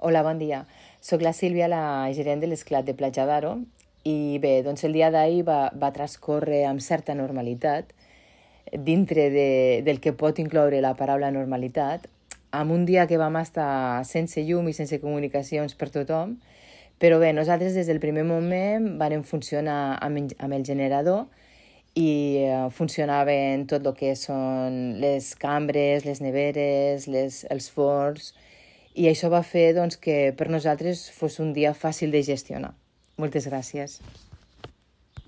Hola, bon dia. Soc la Sílvia, la gerent de l'Esclat de Platja d'Aro, i bé, doncs el dia d'ahir va transcórrer amb certa normalitat, dintre del que pot incloure la paraula normalitat, amb un dia que vam estar sense llum i sense comunicacions per tothom, però bé, nosaltres des del primer moment vam funcionar amb el generador i funcionaven tot el que són les cambres, les neveres, els forns, i això va fer doncs, que per nosaltres fos un dia fàcil de gestionar. Moltes gràcies.